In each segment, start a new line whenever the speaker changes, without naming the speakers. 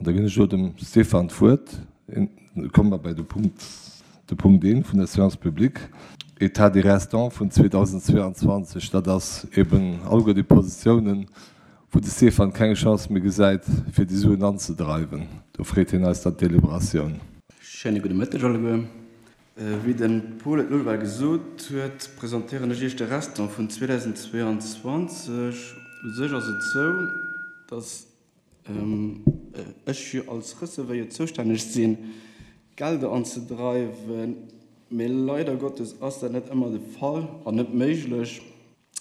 An da ginn ech elo dem Stéphane d'Wuert. Komme mer bei de Punkt, de Punkt eent vun der Séance publique, État des restants vun 2022. Dat ass eben alleguer déi Positiounen, wou de Stéphane keng Chance méi gesäit, fir déi Suen anzedreiwen. Do freet hien eis dann d'Deliberatioun.
Schéine gudde Mëtteg alleguer. Wéi de Paul et elo ewell gesot huet, presentéieren ech Iech de Restant vun 2022. U sech ass et sou, dass ech jo als Receveur zoustänneg sinn, d'Gelder anzedreiwen, mee leider Gottes ass dat net ëmmer de Fall an net méiglech,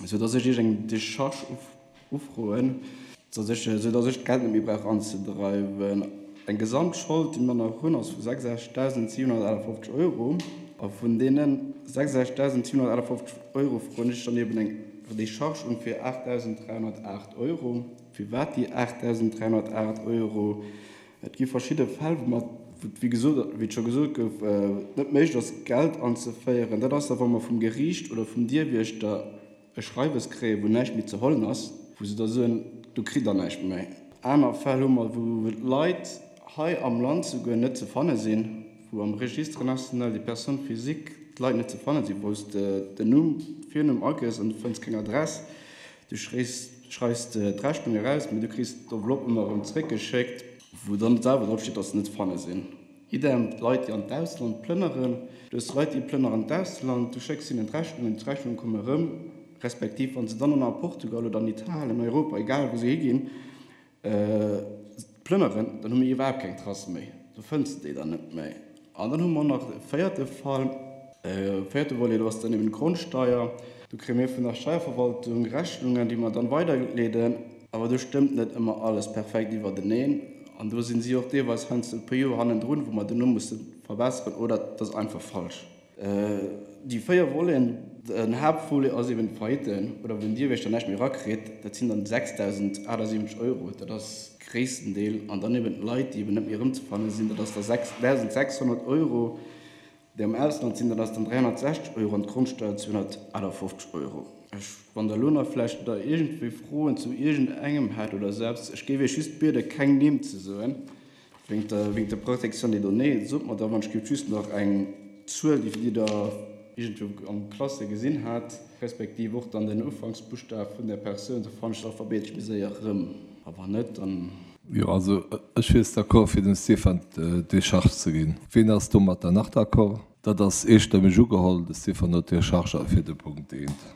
sou dass ech Iech eng Decharge ufroen, sou dass ech d'Geld net méi brauch anzedreiwen. Eng Gesamtschold, déi mer nach hunn, ass vu 66.758 Euro a vun deene 66.758 Euro froen ech dann eben eng Decharge un fir 8.308 Euro. Firwat déi 8.308 Euro? Et gi verschidde Fäll, wou mer, wou et wéi gesot, wéi et scho gesot gouf, net méiglech ass, Geld anzeféieren. Dat ass da, wa mer vum Geriicht oder vum Dierwiechter e Schreiwes kréien, wou näischt méi ze hollen ass, wou se da soen, do kritt Der näischt méi. Aner Fäll hu mer, wou Leit hei am Land souguer net ze fanne sinn, wou am Registre national des personnes physiques d'Leit net ze fanne sinn, wou s de den Numm, Virnumm agëss an du fënns keng Adress. Du schreifs d'Rechnung eraus, mee du kriss d'Enveloppe ëmmer erëm zeréckgeschéckt, wou dann selwer drop steet, dass se net ze fanne sinn. Idem d'Leit, déi an d'Ausland plënneren. Du hues Leit, déi plënneren an d'Ausland, du schécks hinnen d'Rechnungen, d'Rechnunge komme erëm, respektiv wa se dann och nach a Portugal oder an Italien, Europa, egal wou se higinn, Plënneren, dann hu mir iwwerhaapt keng Trace méi, do fënns de déi dann net méi. An dann hu mer nach e véierte Fall, e véierte Volet, do ass dann eben d'Grondsteier. Do kréie mir vun der Steierverwaltung Rechnungen, déi mer dann weiderleeden, awer do stëmmt net ëmmer alles perfekt iwwerteneen an do sinn si och deelweis heiansdo e puer Joer hannendrun, wou mer duerno musse verbesseren oder et ass einfach falsch. Déi 4 Voleten, den Haaptvolet ass eben d'Faillite oder wou den Dierwächter näischt méi erakritt, dat sinn dann 6.078 Euro, dat ass gréissten Deel, an dann eben d'Leit, déi eben net méi erëmzefanne sinn, dat ass da 6.600 Euro, déi am Ausland sinn, dat ass dann 360 Euro an d'Grondsteuer 258 Euro. Ech, wann Der elo nach vläicht da iergendwéi Froen zu iergendengem hätt oder selbst, ech géif Iech just bieden, keng Nimm ze soen, Wéingt der, wéingt der Protection des données, sot mer da wann ech géif just nach eng Zuel, déi Dir da iergendwou am Classé gesinn hat, respektiv och dann den Ufanksbuschtaf vun der Persoun, da fannen ech se alphabetesch méi séier erëm. A wann net, dann.
Jo, also ech wier d'accord fir dem Stéphane d'Décharge ze ginn. Ween ass domatter nach d'accord? Dat ass eestëmmeg ugeholl, de Stéphane huet d'Décharge fir de Punkt eent.